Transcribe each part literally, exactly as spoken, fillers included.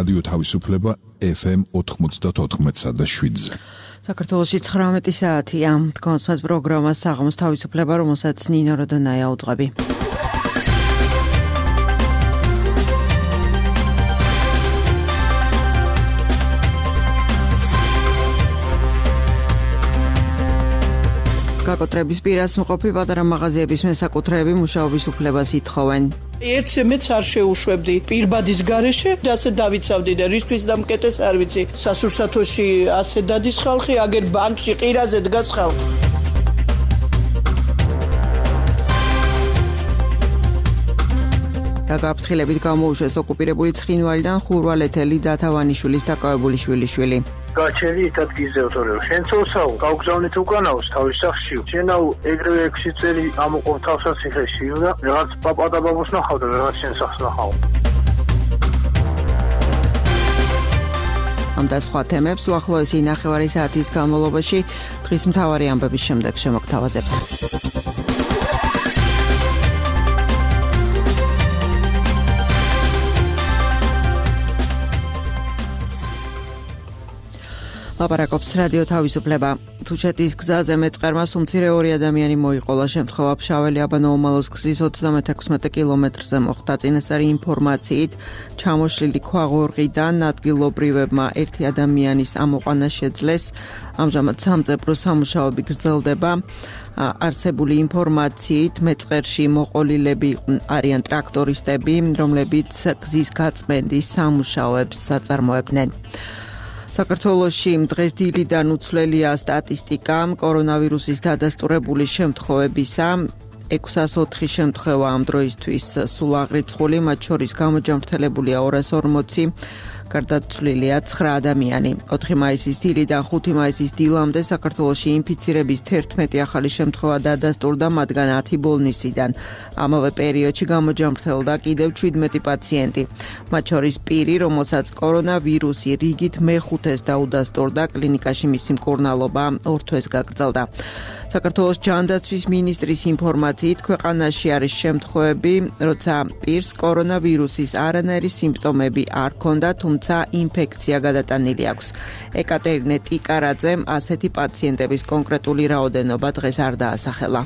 რადიო თავისუფლება ეფ ემ ოთხმოცდაოთხ და შვიდზე. საქართველოში ცხრამეტი საათია. კონსმეთ პროგრამა საღამოს თავისუფლება, რომელსაც ნინო როდონაია უძღვები. გაკოტრების პირას მყოფი პატარა მაღაზიების მესაკუთრეები მუშაობის უფლებას ითხოვენ. ერთზე მეც არ შეუშვებდი პირბადის გარეშე, ასე დავიცავდი და რისთვის დამკეტეს არ ვიცი. სასურსათოში ასე დადის ხალხი, აგერ ბანკში ყირაზე დგას ხალხი. რა გაფრთხილებით გამოუშვეს ოკუპირებული ცხინვალიდან ხურვალეთელი დათავანიშვილის დაკავებული შვილიშვილი. გაჩერი იტადგიზე ოთორეო შენცოლსაო გავგზავნით უკანაოს თავის სახში შენაო ეგრევე ექვსი წელი ამოყობ თავსაც ციხეში და რაღაც პაპა და ბაბოს ნახავდა რაღაც შენ სახს ნახავ. ამ და სხვა თემებს უახლოესი ნახევარი საათის განმავლობაში დღის მთავარი ამბების შემდეგ შემოგთავაზებთ. ლაპარაკობს რადიო თავისუფლება. თუშეთის გზაზე მეწყერმა უმცირე ორი ადამიანი მოიყოლა. შემთხვევა ფშაველი აბანო-ომალოს გზის ოცდამექვსმეტ კილომეტრზე მოხდა. წინასწარი ინფორმაციით, ჩამოშლილი ქვაღორღიდან ადგილობრივებმა ერთი ადამიანის ამოყვანა შეძლეს. ამჟამად სამწებრო სამუშაოები გრძელდება. არსებული ინფორმაციით, მეწყერში მოყოლილები არიან ტრაქტორისტები, რომლებიც გზის გაწმენდის სამუშაოებს აწარმოებდნენ. საქართველოში დღეს დილიდან უცვლელია სტატისტიკა კორონავირუსის დადასტურებული შემთხვევებისა. ექვსას ოთხი შემთხვევა ამ დროისთვის სულ აღრიცხული, მათ შორის გამოჯამრთელებულია ორას ორმოცი, გარდაცვლილია ცხრა ადამიანი. ოთხი მაისის დილიდან ხუთი მაისის დილამდე საქართველოში ინფიცირების თერთმეტი ახალი შემთხვევა დადასტურდა, მათგან ათი ბოლნისიდან. ამავე პერიოდში გამოჯამრთელდა კიდევ ჩვიდმეტი პაციენტი. მათ შორის პირი, რომელსაც კორონავირუსი რიგით მეხუთეს დაუდასტურდა, კლინიკაში მისი მკურნალობა ორ თვეს გაგრძელდა. საქართველოს ჯანდაცვის მინისტრის ინფორმაციით, ქვეყანაში არის შემთხვევები, როცა პირს კორონავირუსის არანაირი სიმპტომები არ ჰქონდა, თუმცა ინფექცია გადატანილი აქვს. ეკატერინე ტიკარაძემ ასეთი პაციენტების კონკრეტული რაოდენობა დღეს არ დაასახელა.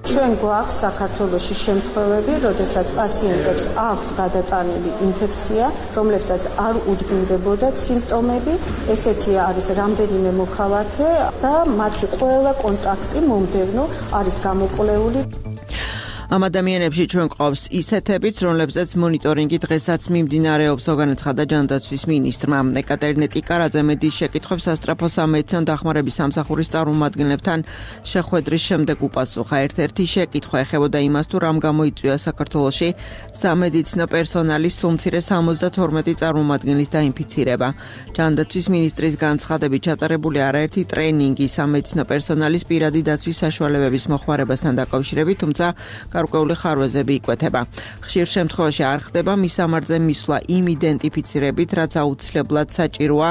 ჩვენ გვაქვს საქართველოში შემთხვევები, როდესაც პაციენტებს აქვთ გადატანილი ინფექცია, რომლებსაც არ უდგინდებოდა სიმპტომები. ესეთი არის რამდენიმე მოქალაქე და მათი ყველა კონტაქტი მომდევნო არის გამოკვლეული. ამ ადამიანებში ჩვენ გვყავს ისეთებიც, რომლებზეც მონიტორინგი დღესაც მიმდინარეობს, განაცხადა ჯანდაცვის მინისტრმა. ეკატერინე ტიკარაძე მედიის შეკითხვებს სასწრაფო სამედიცინო დახმარების სამსახურის წარმომადგენლებთან შეხვედრის შემდეგ უპასუხა. ერთ-ერთი შეკითხვა ეხებოდა იმას, თუ რამ გამოიწვია საქართველოში სამედიცინო პერსონალის უმცირე სამოცდათორმეტი წარმომადგენლის დაინფიცირება. ჯანდაცვის მინისტრის განცხადებით ჩატარებული არაერთი ტრენინგი სამედიცინო პერსონალის პირადი დაცვის საშუალებების მოხმარებასთან დაკავშირებით, თუმცა გარკვეული ხარვეზები იკვეთება. ხშირ შემთხვევაში არ ხდება მისამართზე მისვლა იმ იდენტიფიცირებით, რაც აუცილებლად საჭიროა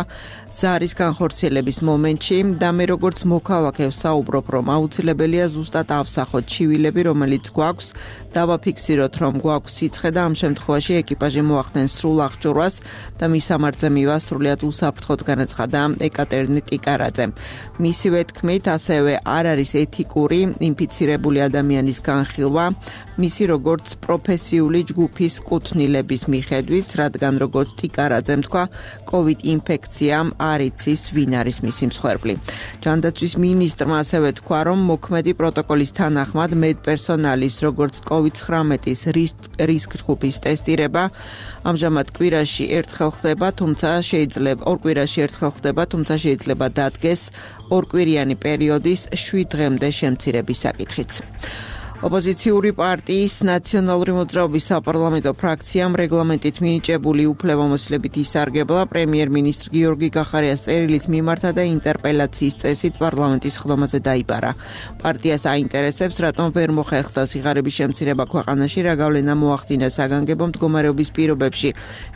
ზარის განხორციელების მომენტში და მე როგორც მოქალაქე ვსაუბრობ, რომ აუცილებელია ზუსტად ავსახოთ ჩივილები, რომელიც გვაქვს, დავაფიქსიროთ, რომ გვაქვს სიცხე და ამ შემთხვევაში ეკიპაჟი მოახდენს სრულ აღჭურვას და მისამართზე მივა სრულიად უსაფრთხოდ, განაცხადა ეკატერინე ტიკარაძე. მისივე თქმით, ასევე არ არის ეთიკური ინფიცირებული ადამიანის განხილვა, მისი როგორც პროფესიული ჯგუფის კუთვნილების მიხედვით, რადგან როგორც ტიკარაძემ თქვა, კოვიდ ინფექციამ არ იცის ვინ არის მისი მსხვერპლი. ჯანდაცვის მინისტრმა ასევე თქვა, რომ მოქმედი პროტოკოლის თანახმად მედპერსონალის როგორც კოვიდ ცხრამეტის რისკ ჯგუფის ტესტირება ამჟამად კვირაში ერთხელ ხდება, თუმცა შეიძლება ორ კვირაში ერთხელ ხდება, თუმცა შეიძლება დადგეს ორკვირიანი პერიოდის შვიდ დღემდე შემცირების საკითხიც. ოპოზიციური პარტიის ნაციონალური მოძრაობის საპარლამენტო ფრაქციამ რეგლამენტით მინიჭებული უფლებამოსილებით ისარგებლა პრემიერ-მინისტრ გიორგი გახარიას წერილით მიმართა და ინტერპელაციის წესით პარლამენტის ხდომაზე დაიბარა. პარტიას აინტერესებს, რატომ ვერ მოხერხდა სიღარიბის შემცირება ქვეყანაში, რა გავლენა მოახდინა საგანგებო მდგომარეობის პირობებში,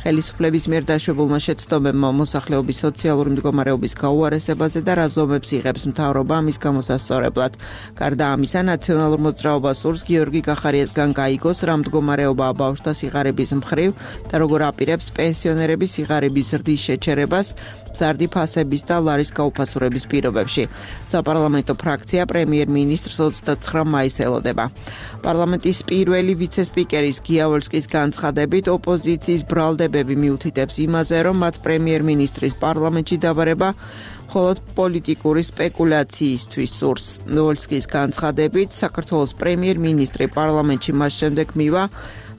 ხელისუფლების მიერ დაშვებულმა შეცდომებმა მოსახლეობის სოციალური მდგომარეობის გაუარესებაზე და რა ზომებს იღებს მთავრობა ამის გამოსასწორებლად. გარდა ამისა, ნაციონალურ მოძრაობას სურს გიორგი გახარიასგან გაიგოს რა მდგომარეობაა ბავშვთა სიღარიბის მხრივ და როგორ აპირებს პენსიონერების სიღარიბის ზრდის შეჩერებას მზარდი ფასების და ლარის გაუფასურების პირობებში. საპარლამენტო ფრაქცია პრემიერ-მინისტრს ოცდაცხრა მაისს ელოდება. პარლამენტის პირველი ვიცე-სპიკერის გია ვოლსკის განცხადებით ოპოზიციის ბრალდებები მიუთითებს იმაზე, რომ მათ პრემიერ-მინისტრის პარლამენტში დაბარება მხოლოდ პოლიტიკური სპეკულაციისთვის სურს. ვოლსკის განცხადებით საქართველოს პრემიერ-მინისტრი პარლამენტში მას შემდეგ მივა,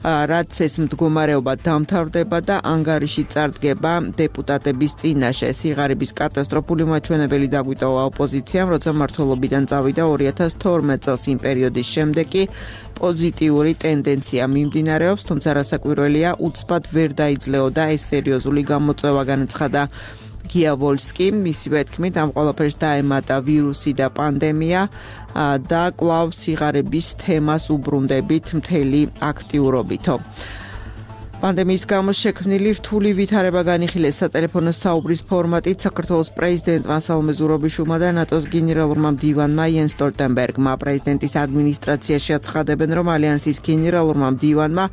რაც ეს მდგომარეობა დამთავრდება და ანგარიში წარდგება დეპუტატების წინაშე. სიღარიბის კატასტროფული მაჩვენებელი დაგვიტოვა ოპოზიციამ, როცა მმართველობიდან წავიდა ორი ათას თორმეტ წელს იმ პერიოდის შემდეგ კი პოზიტიური ტენდენცია მიმდინარეობს, თუმცა რასაკვირველია, უცბად ვერ დაიძლეოდა ეს სერიოზული გამოწვევა, განაცხადა გია ვოლსკი. მისივე თქმით, ამ ყველაფერს დაემატა ვირუსი და პანდემია და კვლავ სიღარიბის თემას უბრუნდებით მთელი აქტიურობითო. პანდემიის გამო შექმნილი რთული ვითარება განიხილეს სატელეფონო საუბრის ფორმატით საქართველოს პრეზიდენტმა სალომე ზურაბიშვილმა და ნატოს გენერალურმა მდივანმა იენს სტოლტენბერგმა. პრეზიდენტის ადმინისტრაციაში აცხადებენ, რომ ალიანსის გენერალურმა მდივანმა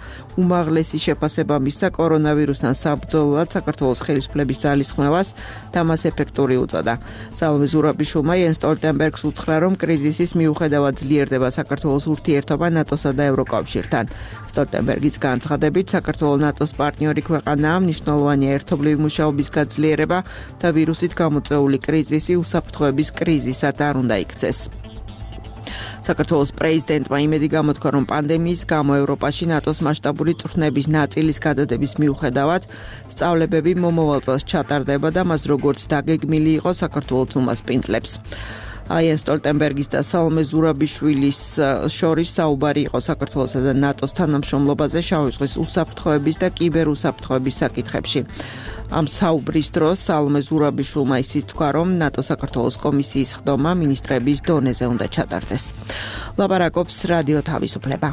უმაღლესი შეფასება მისცა კორონავირუსთან საბრძოლოდ საქართველოს ხელისუფლების ძალისხმევას და მას ეფექტური უწოდა. სალომე ზურაბიშვილმა იენს სტოლტენბერგს უთხრა, რომ კრიზისის მიუხედავად ძლიერდება საქართველოს ურთიერთობა ნატოსა და ევროკავშირთან. სტოლტენბერგის განცხადებით, საქართველოს ნატოს პარტნიორი ქვეყანაა, მნიშვნელოვანია ერთობლივი მუშაობის გაძლიერება და ვირუსით გამოწვეული კრიზისი უსაფრთხოების კრიზისად არ უნდა იქცეს. საქართველოს პრეზიდენტმა იმედი გამოთქვა, რომ პანდემიის გამო ევროპაში ნატოს მასშტაბური წვრთნების ნაწილის გადადების მიუხედავად სწავლებები მომავალ წელს ჩატარდება და მას როგორც დაგეგმილი იყო საქართველოს უმასპინძლებს. იენს სტოლტენბერგის და სალომე ზურაბიშვილის შორის საუბარი იყო საქართველოსა და ნატოს თანამშრომლობაზე შავი ზღვის უსაფრთხოების და კიბერუსაფრთხოების საკითხებში. ამ საუბრის დროს სალომე ზურაბიშვილმა ისიც თქვა, რომ ნატო-საქართველოს კომისიის ხდომა მინისტრების დონეზე უნდა ჩატარდეს. ლაპარაკობს რადიო თავისუფლება.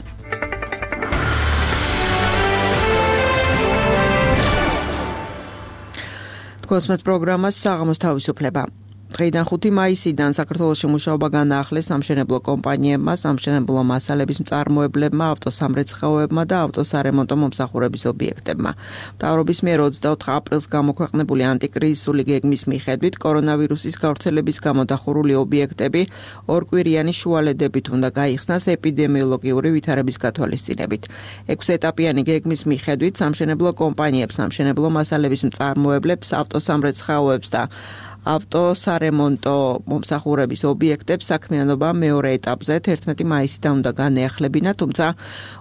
თქვენს პროგრამას საღამოს თავისუფლება. დღეიდან ხუთი მაისიდან საქართველოში მუშაობა განაახლეს სამშენებლო კომპანიებმა, სამშენებლო მასალების მწარმოებლებმა, ავტოსამრეცხაოებმა და ავტოსარემონტო მომსახურების ობიექტებმა. მთავრობის მიერ ოცდაოთხ აპრილს გამოქვეყნებული ანტიკრიზისული გეგმის მიხედვით კორონავირუსის გავრცელების გამო დახურული ობიექტები ორკვირიანი შუალედებით უნდა გაიხსნას ეპიდემიოლოგიური ვითარების გათვალისწინებით. ექვსეტაპიანი გეგმის მიხედვით სამშენებლო კომპანიებს, სამშენებლო მასალების მწარმოებლებს, ავტოსამრეცხაოებს და ავტოსარემონტო მომსახურების ობიექტებს საქმიანობა მეორე ეტაპზე თერთმეტი მაისიდან უნდა განეახლებინა, თუმცა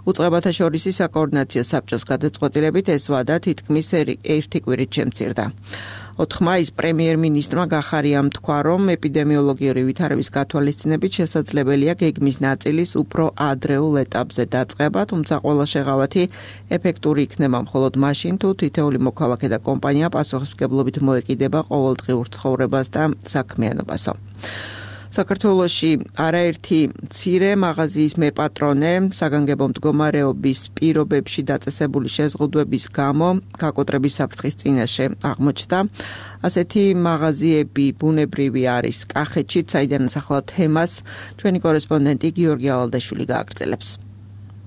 უწყებათა შორისი საკოორდინაციო საბჭოს გადაწყვეტილებით ეს ვადა თითქმის ერთი კვირით შემცირდა. ოთხ მაისს პრემიერ-მინისტრმა გახარიამ თქვა, რომ ეპიდემიოლოგიური ვითარების გათვალისწინებით შესაძლებელია გეგმის ნაწილის უფრო ადრეულ ეტაპზე დაწყება, თუმცა ყველა შეღავათი ეფექტური იქნება მხოლოდ მაშინ, თუ თითოეული მოქალაქე და კომპანია პასუხისმგებლობით მოეკიდება ყოველდღიურ ცხოვრებას და საქმიანობასო. საქართველოში არაერთი მცირე მაღაზიის მეპატრონე საგანგებო მდგომარეობის პირობებში დაწესებული შეზღუდვების გამო გაკოტრების საფრთხის წინაშე აღმოჩნდა. ასეთი მაღაზიები ბუნებრივი არის კახეთში, საიდანაც ახლა თემას ჩვენი კორესპონდენტი გიორგი ალალდაშვილი გააგრძელებს.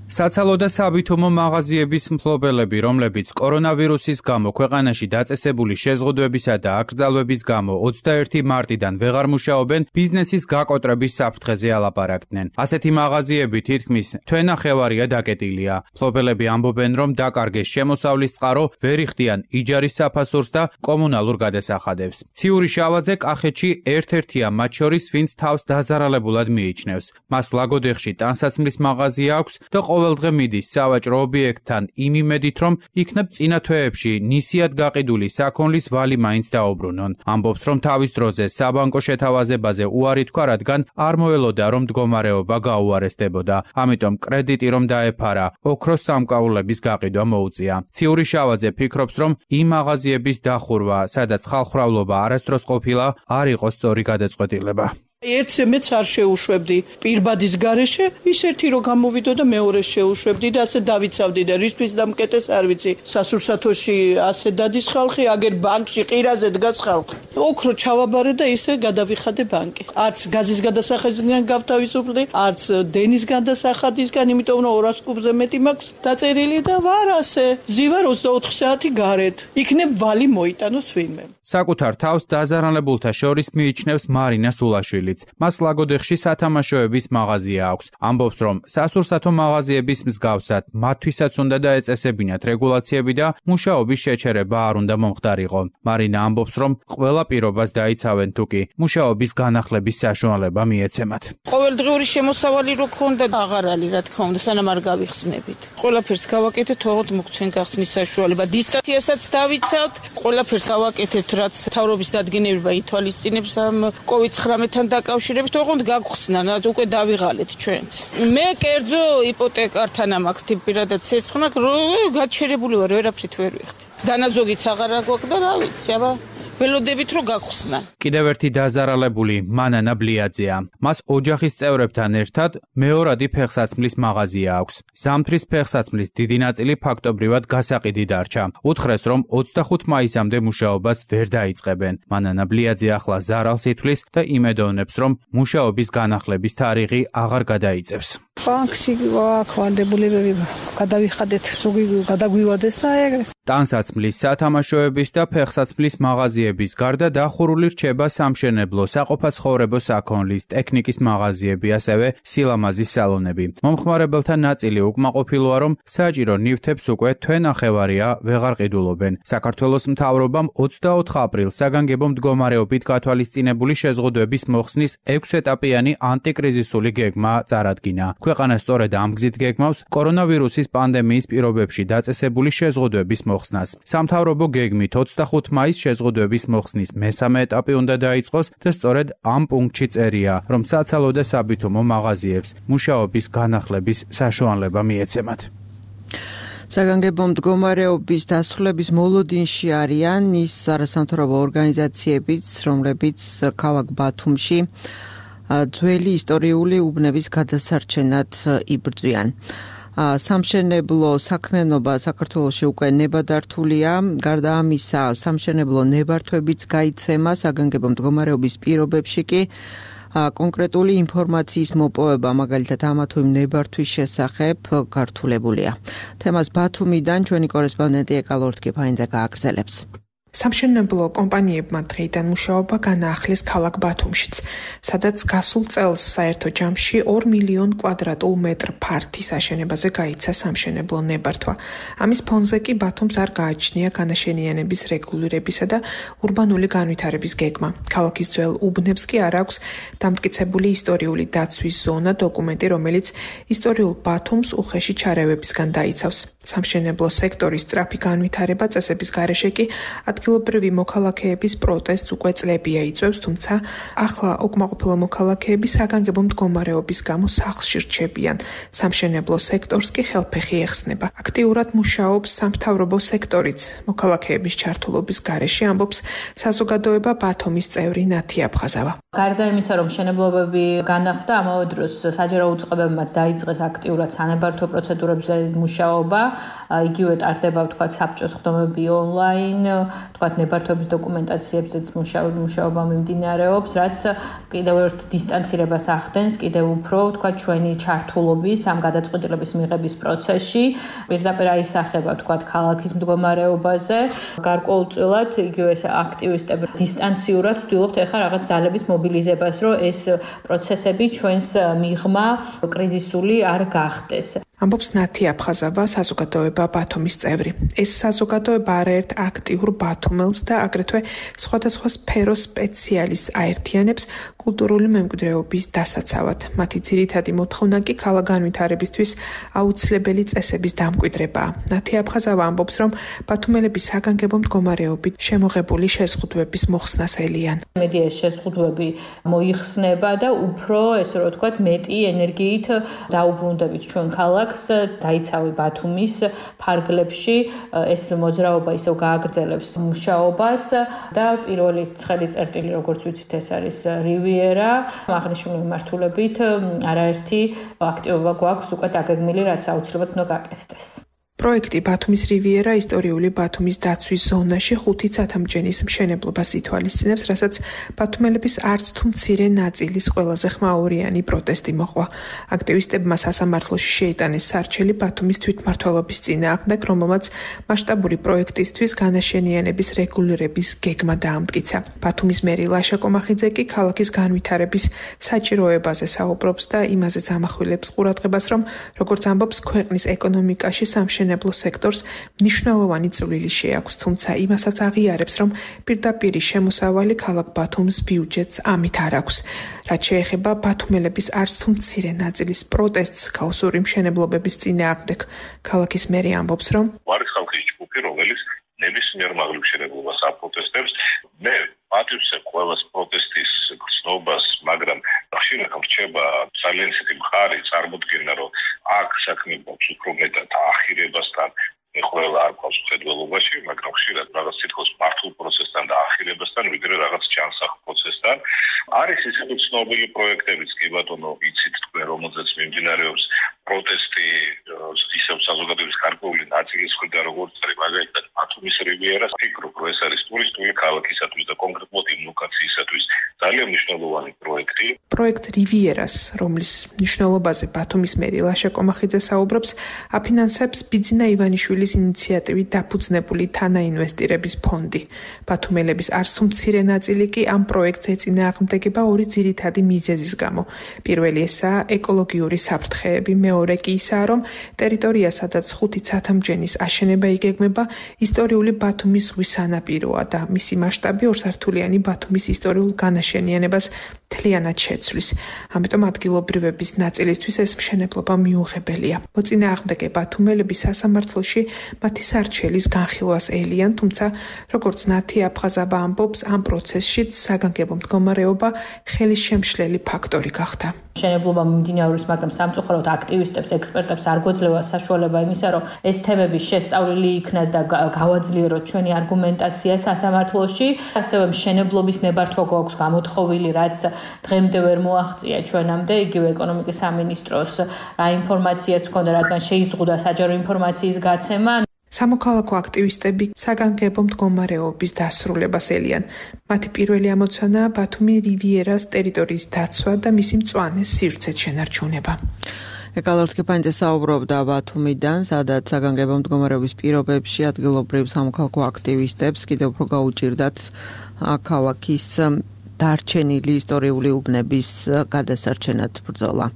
საცალო და სავითომო მაღაზიების მფლობელები, რომლებიც კორონავირუსის გამო ქვეყანაში დაწესებული შეზღუდვებისა და აკრძალვების გამო ოცდაერთი მარტიდან ვეღარ მუშაობენ, ბიზნესის გაკოტრების საფრთხეზე ალაპარაკდნენ. ასეთი მაღაზიები თითქმის თვენახევარია დაკეტილია. მფლობელები ამბობენ, რომ დაკარგეს შემოსავლის წყარო, ვერ იხდიან იჯარის საფასურს და კომუნალურ გადასახადებს. ციური შავაძე კახეთში ერთ-ერთია მათ შორის, ვინც თავს დაზარალებულად მიიჩნევს. მას ლაგოდეხში ტანსაცმლის მაღაზია აქვს და ყოველდღე მიდის სავაჭრო ობიექტთან იმ იმედით, რომ იქნებ წინა თვეებში ნისიად გაყიდული საქონლის ვალი მაინც დაუბრუნონ. ამბობს, რომ თავის დროზე საბანკო შეთავაზებაზე უარი თქვა, რადგან არ მოელოდა, რომ მდგომარეობა გაუარესდებოდა. ამიტომ კრედიტი რომ დაეფარა, ოქროს სამკაულების გაყიდვა მოუწია. ციური შავაძე ფიქრობს, რომ იმ მაღაზიების დახურვა, სადაც ხალხმრავლობა არასდროს ყოფილა, არ იყო სწორი გადაწყვეტილება. ერთზე მეც არ შეუშვებდი პირბადის გარეშე, ის ერთი რო გამოვიდო და მეორეს შეუშვებდი და ასე დავიცავდი და რისთვის დამკეტეს არ ვიცი. სასურსათოში ასე დადის ხალხი, აგერ ბანკში ყირაზე დგას ხალხი. ოქრო ჩავაბარე და ისე გადავიხადე ბანკი. არც გაზის გადასახადისგან გავთავისუფლდი, არც დენის გადასახადისგან, იმიტომ რომ ორას კუბზე მეტი მაქვს დაწერილი და ვარ ასე. ზივარ ოცდაოთხ საათი გარეთ. იქნებ ვალი მოიტანოს ვინმე. საკუთარ თავს დაზარალებულთა შორის მიიჩნევს მარინა სულაშვილიც. მას ლაგოდეხში სათამაშოების მაღაზია აქვს. ამბობს, რომ სასურსათო მაღაზიების მსგავსად მათთვისაც უნდა დაეწესებინათ რეგულაციები და მუშაობის შეჩერება არ უნდა მომხდარიყო. მარინა ამბობს, რომ ყველა პირობას დაიცავენ თუკი მუშაობის განახლების საშუალება მიეცემათ. ყოველდღიური შემოსავალი რო ქონდა, აღარ არის რა თქმა უნდა, სანამ არ გავიხსნებით. ყველაფერს გავაკეთეთ, თორემ მოგცენ გახსნის საშუალება. დისტანციასაც დავიცავთ, ყველაფერს გავაკეთებთ, რაც მთავრობის დადგენილება ითვალისწინებს ამ კოვიდ ცხრამეტთან დაკავშირებით, თორემ გაგხსნა, უკვე დავიღალეთ ჩვენც. მე კერძო იპოტეკართან ამაქვს პირადად ცეცხლმა, რომ გაჩერებული ვარ, ვერაფრით ვერ ვიხდი. დანაზოგიც აღარ აგვაქვს და რა ვიცი, აბა ველოდებით რომ გაგხსნა. კიდევ ერთი დაზარალებული მანანა ბლიაძეა. მას ოჯახის წევრებთან ერთად მეორადი ფეხსაცმლის მაღაზია აქვს. ზამთრის ფეხსაცმლის დიდი ნაწილი ფაქტობრივად გასაყიდი დარჩა. უთხრეს, რომ ოცდახუთ მაისამდე მუშაობას ვერ დაიწყებენ. მანანა ბლიაძე ახლა ზარალს ითვლის და იმედოვნებს, რომ მუშაობის განახლების თარიღი აღარ გადაიწევს. ბანკში ვაქვანდებულებები გადავიხადეთ, სუგი გადაგვივადეს და ეგრე. ტანსაცმლის, სათამაშოების და ფეხსაცმლის მაღაზიების გარდა დახურული რჩება სამშენებლო, საყოფაცხოვრებო საქონლის, ტექნიკის მაღაზიები, ასევე სილამაზის სალონები. მომხმარებელთა ნაწილი უკმაყოფილოა, რომ საჭირო ნივთებს უკვე თვენახევარია ვეღარ ყიდულობენ. საქართველოს მთავრობამ ოცდაოთხ აპრილს საგანგებო მდგომარეობით გათვალისწინებული შეზღუდვების მოხსნის ექვსეტაპიანი ანტიკრიზისული გეგმა წარადგინა. ქვეყანა სწორედ ამ გზით გეგმავს კორონავირუსის პანდემიის პირობებში დაწესებული შეზღუდვების მოხსნას. სამთავრობო გეგმით ოცდახუთ მაისს შეზღუდვების მოხსნის მესამე ეტაპი უნდა დაიწყოს და სწორედ ამ პუნქტში წერია, რომ საცალო და საბითუმო მაღაზიებს მუშაობის განახლების საშუალება მიეცემათ. საგანგებო მდგომარეობის დასრულების მოლოდინში არიან ის არასამთავრობო ორგანიზაციებიც, რომლებიც ქალაქ ბათუმში ძველი ისტორიული უბნების გადასარჩენად იბრძვიან. სამშენებლო საქმიანობა საქართველოში უკვე ნებადართულია. გარდა ამისა, სამშენებლო ნებართვებიც გაიცემა საგანგებო მდგომარეობის პირობებში კი კონკრეტული ინფორმაციის მოპოვება, მაგალითად ამა თუ იმ ნებართვის შესახებ გართულებულია. თემას ბათუმიდან ჩვენი კორესპონდენტი ეკალორთკი ფაინძე გააგრძელებს. სამშენებლო კომპანიებმა დღეიდან მუშაობა განაახლეს ქალაქ ბათუმშიც, სადაც გასულ წელს საერთო ჯამში ორ მილიონ კვადრატულ მეტრ ფართის აშენებაზე გაიცა სამშენებლო ნებართვა. ამის ფონზე კი ბათუმს არ გააჩნია განაშენიანების რეგულირებისა და ურბანული განვითარების გეგმა. ქალაქის ძველ უბნებს კი არ აქვს დამტკიცებული ისტორიული დაცვის ზონა, დოკუმენტი, რომელიც ისტორიულ ბათუმს უხეში ჩარევებისგან დაიცავს. სამშენებლო სექტორის სწრაფი განვითარება წესების გარეშე კი ადგილობრივი მოქალაქეების პროტესტს უკვე წლებია იწვევს, თუმცა ახლა უკმაყოფილო მოქალაქეები საგანგებო მდგომარეობის გამო სახლში რჩებიან. სამშენებლო სექტორს კი ხელფეხი ეხსნება. აქტიურად მუშაობს სამთავრობო სექტორიც. მოქალაქეების ჩართულობის გარეშე ამბობს საზოგადოება ბათუმის წევრი ნათი აფხაზავა. გარდა იმისა, რომ მშენებლობები განახლდა, ამავე დროს საჯარო უწყებებმაც დაიწყეს აქტიურად სანებართვო პროცედურებზე მუშაობა. იგივე ტარდება ვთქვათ საბჭოს ხდომები ონლაინ, ვთქვათ ნებართვების დოკუმენტაციებზეც მუშაობა მიმდინარეობს, რაც კიდევ ერთ დისტანცირებას ახდენს, კიდევ უფრო ვთქვათ ჩვენი ჩართულობის ამ გადაწყვეტილების მიღების პროცესში. პირდაპირ აისახება ვთქვათ ქალაქის მდგომარეობაზე. გარკვეულწილად იგივე აქტივისტები დისტანციურად ვცდილობთ ახლა რაღაც ძალების მობილიზებას, რომ ეს პროცესები ჩვენს მიღმა კრიზისული არ გახდეს. ამბობს ნათი აფხაზავა, საზოგადოება ბათუმის წევრი. ეს საზოგადოება არაერთ აქტიურ ბათუმელს და აგრეთვე სხვადასხვა სფეროს სპეციალისტს აერთიანებს კულტურული მემკვიდრეობის დასაცავად. მათი ძირითადი მოთხოვნა კი ქალაქგანვითარებისთვის აუცილებელი წესების დამკვიდრებაა. ნათი აფხაზავა ამბობს, რომ ბათუმელები საგანგებო მდგომარეობით შემოღებული შეზღუდვების მოხსნას ელიან. მედი ეს შეზღუდვები მოიხსნება და უფრო, ესე რომ ვთქვათ, მეტი ენერგიით დაუბრუნდებით ჩვენ ქალაქს. ქალაქს დაიცავი ბათუმის ფარგლებში. ეს მოძრაობა ისევ გააგრძელებს მუშაობას და პირველი ცხელი წერტილი, როგორც ვიცით, ეს არის რივიერა. აღნიშნული მიმართულებით არაერთი აქტივობა გვაქვს უკვე დაგეგმილი, რაც აუცილებლად უნდა გაკეთდეს. პროექტი ბათუმის რივიერა ისტორიული ბათუმის დაცვის ზონაში ხუთი ცათამბჯენის მშენებლობას ითვალისწინებს, რასაც ბათუმელების არც თუ მცირე ნაწილის ყველაზე ხმაურიანი პროტესტი მოყვა. აქტივისტებმა სასამართლოში შეიტანეს სარჩელი ბათუმის თვითმმართველობის წინააღმდეგ, რომელმაც მასშტაბური პროექტისთვის განაშენიანების რეგულირების გეგმა დაამტკიცა. ბათუმის მერი ლაშა კომახიძე კი ქალაქის განვითარების საჭიროებაზე საუბრობს და იმაზეც ამახვილებს ყურადღებას, რომ როგორც ამბობს, ქვეყნის ეკონომიკაში სამშენებლო სექტორს მნიშვნელოვანი წვლილი შეაქვს, თუმცა იმასაც აღიარებს, რომ პირდაპირი შემოსავალი ქალაქ ბათუმის ბიუჯეტს ამით არ აქვს. რაც შეეხება ბათუმელების არც თუ მცირე ნაწილის პროტესტს ქაოსური მშენებლობების წინააღმდეგ, ქალაქის მერი ამბობს, რომ არის ხალხის ჯგუფი, რომელიც ნებისმიერ მაღლივ მშენებლობას აპროტესტებს. მე პატივს ყველას პროტესტის გრძნობას, მაგრამ ხშირად რჩება ძალიან ისეთი მხარი წარმოდგენა, რომ აქ საქმე გვაქვს უფრო მეტად ახირებასთან, ყველა არ გვაქვს მხედველობაში, მაგრამ ხშირად რაღაც თითქოს მართულ პროცესთან და ახირებასთან, ვიდრე რაღაც ჯანსაღ პროცესთან. არის ისეთი ცნობილი პროექტებიც, კი ბატონო, იცით თქვენ, რომელზეც მიმდინარეობს პროტესტი ისევ საზოგადოების გარკვეული ნაწილის მხრიდან, როგორც არის მაგალითად ბათუმის რივიერას, ფიქრობ, რომ ეს არის ტურისტული ქალაქისათვის და კონკრეტულად იმ ლოკაციისათვის ძალიან მნიშვნელოვანი პროექტი. პროექტ რივიერას, რომლის მნიშვნელობაზე ბათუმის მერი ლაშა კომახიძე საუბრობს, აფინანსებს ბიძინა ივანიშვილის ინიციატივით დაფუძნებული თანაინვესტირების ფონდი. ბათუმელების არც თუ მცირე ნაწილი კი ამ პროექტს ეწინააღმდეგება ორი ძირითადი მიზეზის გამო. პირველი ესაა ეკოლოგიური საფრთხეები, მეორე კი ისაა, რომ ტერიტორია, სადაც ხუთი ცათამბჯენის აშენება იგეგმება, ისტორიული ბათუმის ზღვის სანაპიროა და მისი მასშტაბი ორსართულიანი ბათუმის ისტორიულ განაშენიანებას მთლიანად შეცვლის. ამიტომ ადგილობრივების ნაწილისთვის ეს მშენებლობა მიუღებელია. მოწინააღმდეგე ბათუმელები სასამართლოში მათი სარჩელის განხილვას ელიან, თუმცა როგორც ნათი აფხაზაბა ამბობს, ამ პროცესშიც საგანგებო მდგომარეობა ხელისშემშლელი ფაქტორი გახდა. მშენებლობა მიმდინარეობს, მაგრამ სამწუხაროდ აქტივისტებს, ექსპერტებს არ გვეძლევა საშუალება იმისა, რომ ეს თემები შესწავლილი იქნას და გავაძლიეროთ ჩვენი არგუმენტაცია სასამართლოში. ასევე მშენებლობის ნებართვა გვაქვს გამოთხოვილი, რაც დღემდე ვერ მოაღწია ჩვენამდე, იგივე ეკონომიკის სამინისტროს რა ინფორმაციაც ჰქონდა, რადგან შეიზღუდა საჯარო ინფორმაციის გაცემა. სამოქალაქო აქტივისტები საგანგებო მდგომარეობის დასრულებას ელიან. მათი პირველი ამოცანაა ბათუმი რივიერას ტერიტორიის დაცვა და მისი მწვანე სივრცეთ შენარჩუნება. ეკალორთ კეპანიძე საუბრობდა ბათუმიდან, სადაც საგანგებო მდგომარეობის პირობებში ადგილობრივ სამოქალაქო აქტივისტებს კიდევ უფრო გაუჭირდათ ქალაქის დარჩენილი ისტორიული უბნების გადასარჩენად ბრძოლა.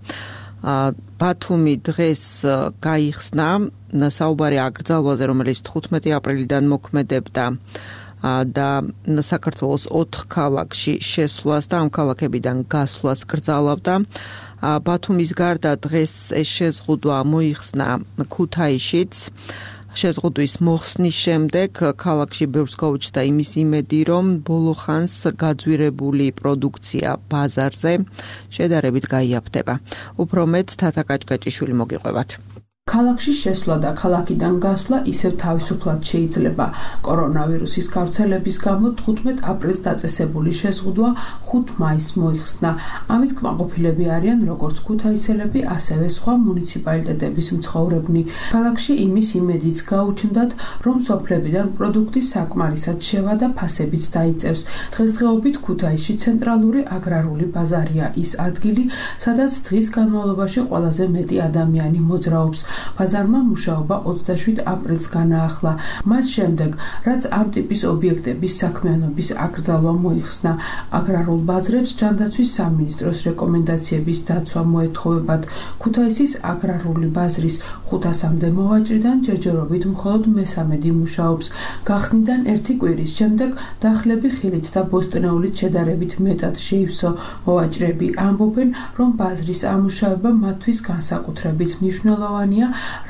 ბათუმი დღეს გაიხსნა საუბარი აკრძალვაზე, რომელიც თხუთმეტი აპრილიდან მოქმედებდა და საქართველოს ოთხ ქალაქში შესვლას და ამ ქალაქებიდან გასვლას კრძალავდა. ბათუმის გარდა დღეს ეს შეზღუდვა მოიხსნა ქუთაისშიც. შეზღუდვის მოხსნის შემდეგ ქალაქში ბევრს გაუჩნდა იმის იმედი, რომ ბოლო ხანს გაძვირებული პროდუქცია ბაზარზე შედარებით გაიაფდება. უფრო მეტ თათა კაჭკაჭიშვილი მოგიყვებათ. ქალაქში შესვლა და ქალაქიდან გასვლა ისევ თავისუფლად შეიძლება. კორონავირუსის გავრცელების გამო თხუთმეტ აპრილს დაწესებული შეზღუდვა ხუთ მაისს მოიხსნა. ამით კმაყოფილები არიან როგორც ქუთაისელები, ასევე სხვა მუნიციპალიტეტების მცხოვრებნი. ქალაქში იმის იმედიც გაუჩნდათ, რომ სოფლებიდან პროდუქტი საკმარისად შევა და ფასებიც დაიწევს. დღესდღეობით ქუთაისში ცენტრალური აგრარული ბაზარია ის ადგილი, სადაც დღის განმავლობაში ყველაზე მეტი ადამიანი მოძრაობს. ბაზარმა მუშაობა ოცდაშვიდ აპრილს განაახლა. მას შემდეგ, რაც ამ ტიპის ობიექტების საქმიანობის აკრძალვა მოიხსნა, აგრარულ ბაზრებს ჯანდაცვის სამინისტროს რეკომენდაციების დაცვა მოეთხოვებათ. ქუთაისის აგრარული ბაზრის ხუთასამდე მოვაჭრიდან ჯერჯერობით მხოლოდ მესამედი მუშაობს. გახსნიდან ერთი კვირის შემდეგ დახლები ხილით და ბოსტნეულით შედარებით მეტად შეივსო. მოვაჭრები ამბობენ, რომ ბაზრის ამუშავება მათთვის განსაკუთრებით მნიშვნელოვანია,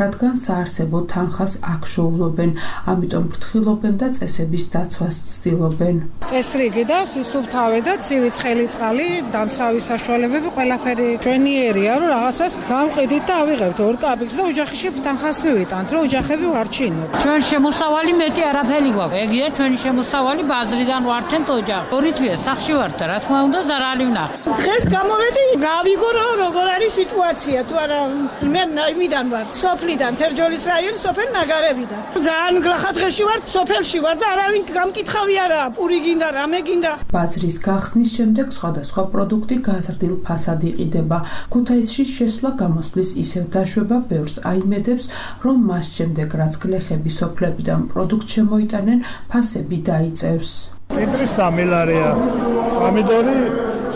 რადგან საარსებო თანხას აქ შოულობენ, ამიტომ ფრთხილობენ და წესების დაცვას ცდილობენ. წესრიგი და სისუფთავე და ცივი ცხელი წყალი, დამცავი საშუალებები ყველაფერი ჩვენიერია, რომ რაღაცას გამყიდით და ავიღებთ ორ კაპიკს და ოჯახში თანხას მივიტანთ, რომ ოჯახები ვარჩინოთ. ჩვენ შემოსავალი მეტი არაფერი გვაქვს. ეგია ჩვენი შემოსავალი ბაზრიდან ვარჩენთ ოჯახს. ორი თვეა სახში ვართ და რა თქმა უნდა ზარალი ვნახე. დღეს გამოვედი, გავიგო რომ როგორ არის სიტუაცია, თუ არა მე იმიდან ვარ, სოფლიდან, თერჯოლის რაიონი, სოფელ ნაგარებიდან. ძალიან გლახა დღეში ვარ, სოფელში ვარ და არავინ გამკითხავი არა, პური გინდა, რამე გინდა. ბაზრის გახსნის შემდეგ სხვადასხვა პროდუქტი გაზრდილ ფასად იყიდება. ქუთაისში შესვლა გამოსვლის ისევ დაშვება ბევრს აიმედებს, რომ მას შემდეგ რაც გლეხები სოფლებიდან პროდუქტ შემოიტანენ, ფასები დაიწევს. ციტრუსი სამი ლარია, პომიდორი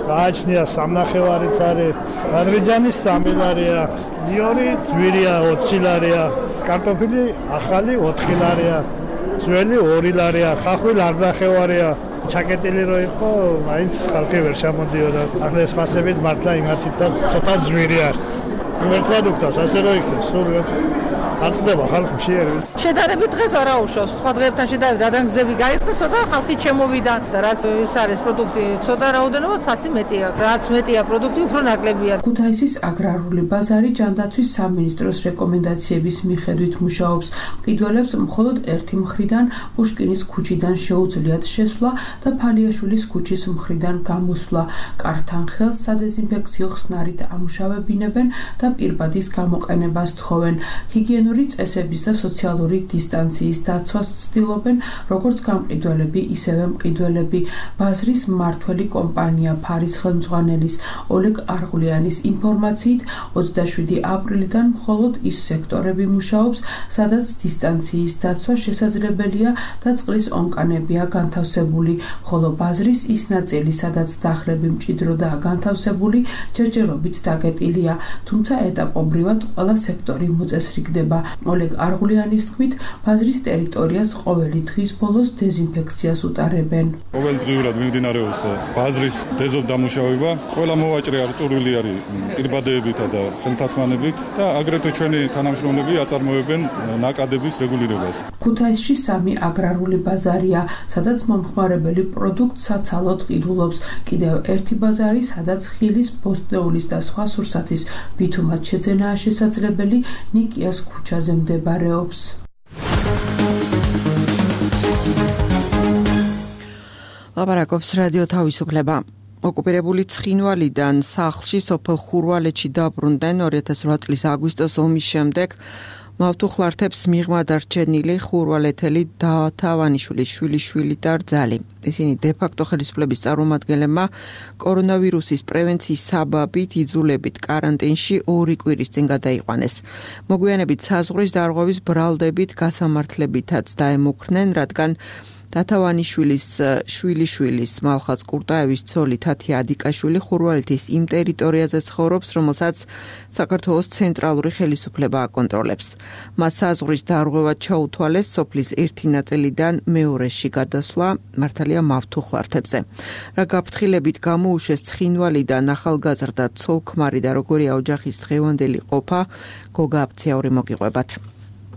გააჩნია სამნახევარიც არის, ბადრიჯანი სამი ლარია, ლიონი ძვირია ოცი ლარია, კარტოფილი ახალი ოთხი ლარია, ძველი ორი ლარია, ხახვი ლარნახევარია. ჩაკეტილი რო იყო, მაინც ხალხი ვერ შემოდიოდა. ახლა ეს ფასებიც მართლა იმათით და ცოტა ძვირი არის. იმერ პროდუქტას ასე რო იქნეს, სულ აწყდება ხალხი მშიერი. შედარებით დღეს არა უშავს. სხვა დღეებთან შედარებით რადგან გზები გაიხსნა, ცოტა ხალხი ჩემოვიდა და რაც ის არის პროდუქტი, ცოტა რაოდენობა ფასი მეტია. რაც მეტია პროდუქტი, უფრო ნაკლებია. ქუთაისის აგრარული ბაზარი ჯანდაცვის სამინისტროს რეკომენდაციების მიხედვით მუშაობს. მყიდველებს მხოლოდ ერთი მხრიდან პუშკინის ქუჩიდან შეუძლიათ შესვლა და ფალიაშვილის ქუჩის მხრიდან გამოსვლა. კართან ხელს სადეზინფექციო ხსნარით ამუშავებინებენ და პირბადის გამოყენებას თხოვენ. ჰიგიენური წესების და სოციალური დისტანციის დაცვას ცდილობენ როგორც გამყიდველები, ისევე მყიდველები. ბაზრის მმართველი კომპანია ფარის ხელმძღვანელის ოლეგ არღულიანის ინფორმაციით ოცდაშვიდი აპრილიდან მხოლოდ ის სექტორები მუშაობს, სადაც დისტანციის დაცვა შესაძლებელია და წყლის ონკანებია განთავსებული, ხოლო ბაზრის ის ნაწილი, სადაც დახლები მჭიდროდაა განთავსებული, ჯერჯერობით დაკეტილია, თუმცა ეტაპობრივად ყველა სექტორი მოწესრიგდება. ოლეგ არღულიანის თქმით, ბაზრის ტერიტორიას ყოველი დღის ბოლოს დეზინფექციას უტარებენ. ყოველდღიურად მიმდინარეობს ბაზრის დეზობდამუშავება. ყველა მოვაჭრე არტურული არის პირბადეებითა და ხელთათმანებით და აგრეთვე ჩვენი თანამშრომლები აწარმოებენ ნაკადების რეგულირებას. ქუთაისში სამი აგრარული ბაზარია, სადაც მომხმარებელი პროდუქტ საცალოდ ყიდულობს. კიდევ ერთი ბაზარი, სადაც ხილის, ბოსტნეულის და სხვა სურსათის ბითუმად შეძენაა შესაძლებელი, ნიკიას ქუჩაზე მდებარეობს. ლაპარაკობს რადიო თავისუფლება. ოკუპირებული ცხინვალიდან სახლში სოფელ ხურვალეთში დაბრუნდნენ ორი ათას ოთხ წლის აგვისტოს ომის შემდეგ მავთუხლართებს მიღმა დარჩენილი ხურვალეთელი დათავანიშვილის შვილიშვილი და რძალი. ისინი დე-ფაქტო ხელისუფლების წარმომადგენლებმა კორონავირუსის პრევენციის საბაბით იძულებით კარანტინში ორი კვირის წინ გადაიყვანეს. მოგვიანებით საზღვრის დარღვევის ბრალდებით გასამართლებითაც დაემუქრნენ, რადგან დათავანიშვილის შვილიშვილის მალხაც კურტაევის ცოლი თათია ადიკაშვილი ხურვალეთის იმ ტერიტორიაზე ცხოვრობს, რომელსაც საქართველოს ცენტრალური ხელისუფლება აკონტროლებს. მას საზღვრის დარღვევად ჩაუთვალეს სოფლის ერთი ნაწილიდან მეორეში გადასვლა, მართალია მავთუხლართებზე. რა გაფრთხილებით გამოუშვეს ცხინვალიდან ახალგაზრდა ცოლ-ქმარი და როგორია ოჯახის დღევანდელი ყოფა, გოგა აფციაური მოგიყვებათ.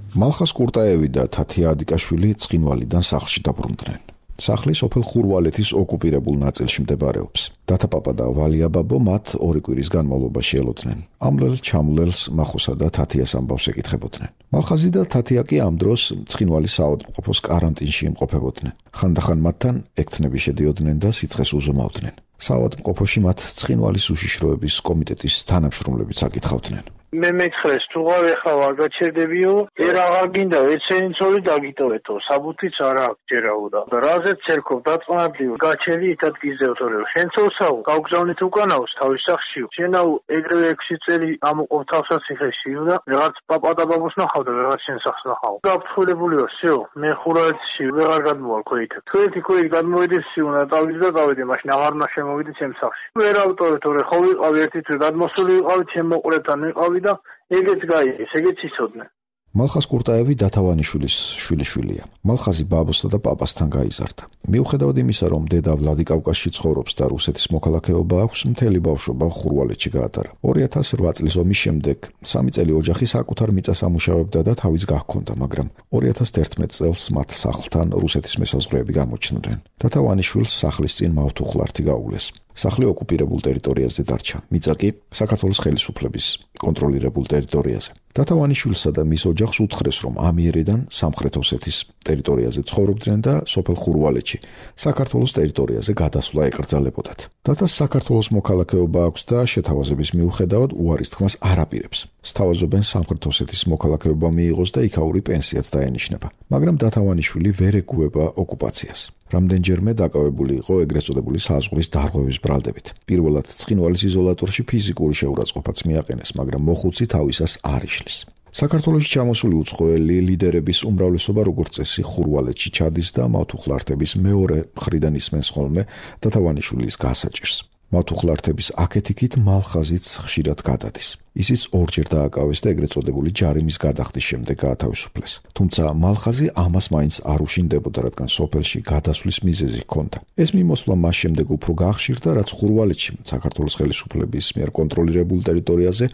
მალხას კურტაევი და თათია ადიკაშვილი ცხინვალიდან სახლში დაბრუნდნენ. სახლი სოფელ ხურვალეთის ოკუპირებულ ნაწილში მდებარეობს. დათაპაპა და ვალია ბაბო მათ ორი კვირის განმავლობაში ელოდნენ. ამლელ ჩამლელს მახოსა და თათიას ამბავს ეკითხებოდნენ. მალხაზი და თათია კი ამ დროს ცხინვალის საავადმყოფოს კარანტინში იმყოფებოდნენ. ხანდახან მათთან ექთნები შედიოდნენ და სიცხეს უზომავდნენ. საავადმყოფოში მათ ცხინვალის უშიშროების კომიტეტის თანამშრომლებიც აკითხავდნენ. მე მეცხრეს თუ ღავეხა ვარ გაჩერდებიო, ერ აღარ გინდა ეცენი ცოლი დაგიტოვეთო, საბუთიც არა აქვს ჯერაუდა. და რაზეც ცერქობ დაწმობდიო, გაჩერი ითად გიზევთორეო. შენ ცოლსაო, გავგზავნით უკანაოს თავის სახშიო. შენაო ეგრევე ექვსი წელი ამოყობ თავსა ციხეშიო და რაღაც პაპა და ბაბუს ნახავ და რაღაც შენ სახს ნახავ. გაფრთხილებულიო, всё, მე ხურვალეთში ვეღარ გადმოვალ ქვეითად. ქვეითი ქვეითი გადმოვედი სიუნა, დავიდი და გავედი, მაშინ აღარ უნდა შემოვიდი ჩემ სახში. ვერ ავტოვე თორე ხო ვიყავი ერთი თვე გადმოსული ვიყავი ჩემ მოყვრებთან ვიყავი და ეგეც გაიგეს, ეგეც იცოდნენ. მალხაზ კურტაევი დათავანიშვილის შვილიშვილია. მალხაზი ბაბოსთან და პაპასთან გაიზარდა. მიუხედავად იმისა, რომ დედა ვლადიკავკაზში ცხოვრობს და რუსეთის მოქალაქეობა აქვს, მთელი ბავშვობა ხურვალეთში გაატარა. ორი ათას რვა წლის ომის შემდეგ სამი წელი ოჯახი საკუთარ მიწას ამუშავებდა და თავის გაჰქონდა, მაგრამ ორი ათას ერთმეტ წელს მათ სახლთან რუსეთის მესაზღვრეები გამოჩნდნენ. დათავანიშვილს სახლის წინ მავთუხლართი გაუვლეს. სახლი ოკუპირებულ ტერიტორიაზე დარჩა. მიწა კი საქართველოს ხელისუფლების კონტროლირებულ ტერიტორიაზე. დათავანიშვილსა და მის ოჯახს უთხრეს, რომ ამიერიდან სამხრეთ ოსეთის ტერიტორიაზე ცხოვრობდნენ და სოფელ ხურვალეთში საქართველოს ტერიტორიაზე გადასვლა ეკრძალებოდათ. დათას საქართველოს მოქალაქეობა აქვს და შეთავაზების მიუხედავად უარის თქმას არ აპირებს. სთავაზობენ სამხრეთ ოსეთის მოქალაქეობა მიიღოს და იქაური პენსიაც დაენიშნება. მაგრამ დათავანიშვილი ვერ ეგუება ოკუპაციას. რამდენჯერმე დაკავებული იყო ეგრეთ წოდებული საზღვრის დარღვევის ბრალდებით. პირველად ცხინვალის იზოლატორში ფიზიკური შეურაცხყოფაც მიაყენეს, მაგრამ მოხუცი თავისას არ იშლის. საქართველოში ჩამოსული უცხოელი ლიდერების უმრავლესობა როგორც წესი ხურვალეთში ჩადის და მავთუხლართების მეორე მხრიდან ისმენს ხოლმე დათავანიშვილის გასაჭირს. მავთუხლართების აქეთ-იქით მალხაზიც ხშირად გადადის. ისიც ორჯერ დააკავეს და ეგრეთ წოდებული ჯარიმის გადახდის შემდეგ გაათავისუფლეს. თუმცა მალხაზი ამას მაინც არ უშინდებოდა, რადგან სოფელში გადასვლის მიზეზი ჰქონდა. ეს მიმოსვლა მას შემდეგ უფრო გაახშირდა, რაც ხურვალეთში საქართველოს ხელისუფლების მიერ კონტროლირებულ ტერიტორიაზე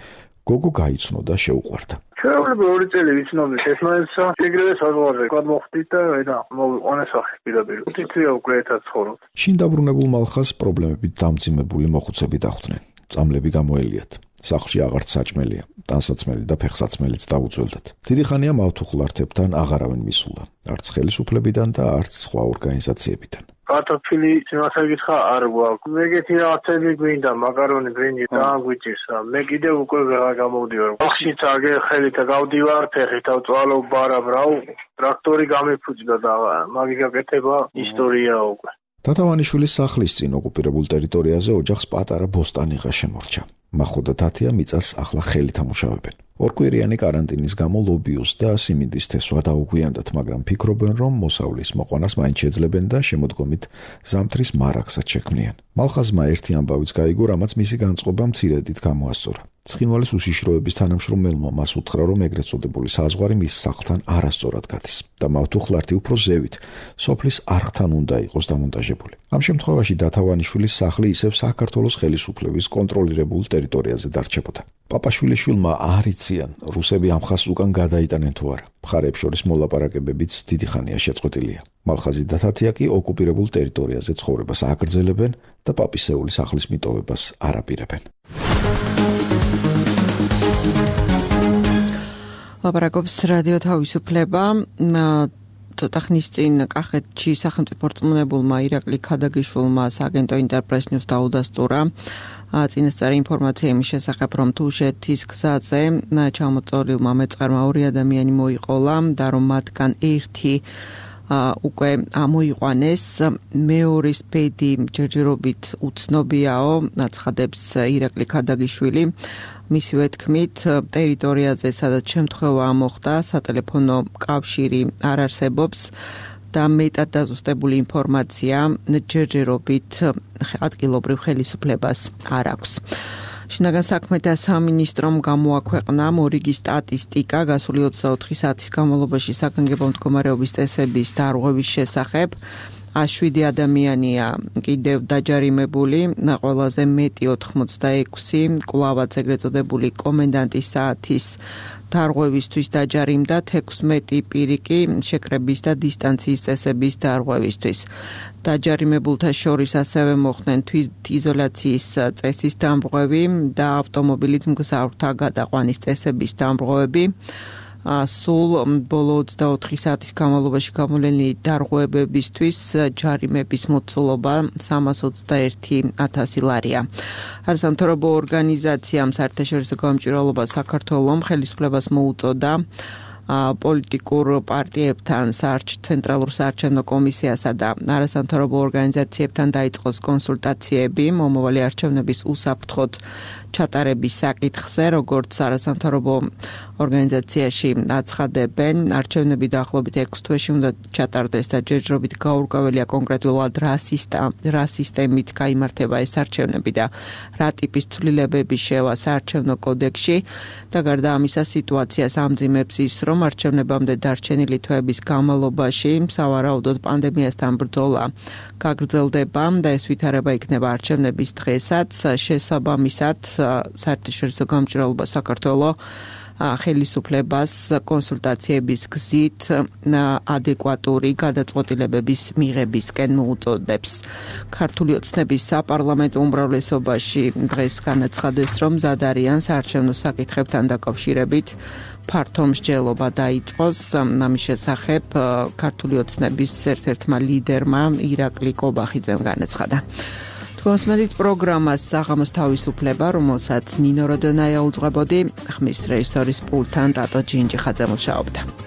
გოგო გაიცნო და შეუყვარდა. შეუძლია ორი წელი ვიცნობთ ეს მაინცა ეგრევე საზღვარზე გადმოხვდით და ედა მოვიყვანეს სახე პირდაპირ. თითქოს უკვე ერთად ცხოვრობ. შინ დაბრუნებულ მალხაზს პრობლემებით დამძიმებული მოხუცები დახვდნენ. წამლები გამოელიათ. სახლში აღარც საჭმელია, ტანსაცმელი და ფეხსაცმელიც დაუძველდათ. დიდი ხანია მავთუხლართებთან აღარავენ მისულა, არც ხელისუფლებიდან და არც სხვა ორგანიზაციებიდან. კარტოფილი იმას ეკითხა არ გვაქვს. ეგეთი რაღაცები გვინდა, მაკარონი, ბრინჯი და გვიჭირს. მე კიდევ უკვე ვეღარ გამოვდივარ. ახშიც აგერ ხელით გავდივარ, ფეხით ავწვალო ბარამ რაუ, ტრაქტორი გამიფუჭდა და მაგი გაკეთება ისტორია უკვე. დათავანიშვილის სახლის წინ ოკუპირებულ ტერიტორიაზე ოჯახს პატარა ბოსტანიღა შემორჩა. მახო და თათია მიწას ახლა ხელით ამუშავებენ. ორკვირიანი კარანტინის გამო ლობიოს და სიმინდის თესვა დაუგვიანდათ, მაგრამ ფიქრობენ, რომ მოსავლის მოყვანას მაინც შეძლებენ და შემოდგომით ზამთრის მარაგსაც შექმნიან. მალხაზმა ერთი ამბავიც გაიგო, რამაც მისი განწყობა მცირედით გამოასწორა. ცხინვალის უშიშროების თანამშრომელმა მას უთხრა, რომ ეგრეთ წოდებული საზღვარი მის სახლთან არასწორად გადის და მავთუხლართი უფრო ზევით, სოფლის არხთან უნდა იყოს დამონტაჟებული. ამ შემთხვევაში დათავანიშვილის სახლი ისევ საქართველოს ხელისუფლების კონტროლირებულ ტერიტორიაზე დარჩებოდა. პაპაშვილიშვილმა არ იციან, რუსები ამ ხაზს უკან გადაიტანენ თუ არა. მხარეებს შორის მოლაპარაკებებიც დიდი ხანია შეწყვეტილია. მალხაზი და თათია კი ოკუპირებულ ტერიტორიაზე ცხოვრებას აგრძელებენ და პაპისეული სახლის მიტოვებას არ აპირებენ. ლაპარაკობს რადიო თავისუფლება. ცოტა ხნის წინ კახეთში სახელმწიფო რწმუნებულმა ირაკლი ქადაგიშვილმა სააგენტო ინტერპრეს ნიუს დაუდასტურა წინასწარი ინფორმაცია იმის შესახებ, რომ თუშეთის გზაზე ჩამოწოლილმა მეწყერმა ორი ადამიანი მოიყოლა და რომ მათგან ერთი უკვე ამოიყვანეს. მეორის ბედი ჯერჯერობით უცნობიაო, აცხადებს ირაკლი ქადაგიშვილი. მისივე თქმით, ტერიტორიაზე, სადაც შემთხვევა მოხდა, სატელეფონო კავშირი არ არსებობს და მეტად დაზუსტებული ინფორმაცია ჯერჯერობით ადგილობრივ ხელისუფლებას არ აქვს. შინაგან საქმეთა სამინისტრომ გამოაქვეყნა მორიგი სტატისტიკა გასული ოცდაოთხი საათის განმავლობაში საგანგებო მდგომარეობის წესების დარღვევის შესახებ. შვიდი ადამიანია კიდევ დაჯარიმებული, ყველაზე მეტი ოთხმოცდაექვსი კვლავაც ეგრეთ წოდებული კომენდანტის საათის დარღვევისთვის დაჯარიმდა, თექვსმეტი პირი კი შეკრების და დისტანციის წესების დარღვევისთვის. დაჯარიმებულთა შორის ასევე მოხდნენ თვითიზოლაციის წესის დამრღვევი და ავტომობილით მგზავრთა გადაყვანის წესების დამრღვევები. სულ ბოლო ოცდაოთხი საათის განმავლობაში გამოვლენილი დარღვევებისთვის ჯარიმების მოცულობა სამას ოცდაერთი ათასი ლარია. არასამთავრობო ორგანიზაციამ საერთაშორისო გამჭვირვალობა საქართველოს ხელისუფლებას მოუწოდა პოლიტიკურ პარტიებთან, ცენტრალურ საარჩევნო კომისიასა და არასამთავრობო ორგანიზაციებთან დაიწყოს კონსულტაციები მომავალი არჩევნების უსაფრთხოდ ჩატარების საკითხზე, როგორც არასამთავრობო ორგანიზაციაში აცხადებენ, არჩევნები დაახლოებით ექვს თვეში უნდა ჩატარდეს და ჯერჯერობით გაურკვეველია კონკრეტულად რა სისტემით გაიმართება ეს არჩევნები და რა ტიპის ცვლილებები შევა საარჩევნო კოდექსში და გარდა ამისა სიტუაციას ამძიმებს ის, რომ რომ არჩევნებამდე დარჩენილი თვეების განმავლობაში სავარაუდოდ პანდემიასთან ბრძოლა გაგრძელდება და ეს ვითარება იქნება არჩევნების დღესაც. შესაბამისად, საერთაშორისო გამჭირვალობა საქართველოს ხელისუფლებას კონსულტაციების გზით ადეკვატური გადაწყვეტილებების მიღებისკენ მოუწოდებს. ქართული ოცნების საპარლამენტო უმრავლესობაში დღეს განაცხადეს, რომ მზად არიან საარჩევნო საკითხებთან დაკავშირებით ფართო მსჯელობა დაიწყოს. ამის შესახებ ქართული ოცნების ერთ-ერთმა ლიდერმა ირაკლი კობახიძემ განაცხადა. Kosmetit programmas საღამოს თავისუფლება, რომელსაც ნინო როდონაია უძღვებოდი, ხმის რეჟისორის პულტთან ტატო ჯინჯი ხაძე მუშაობდა.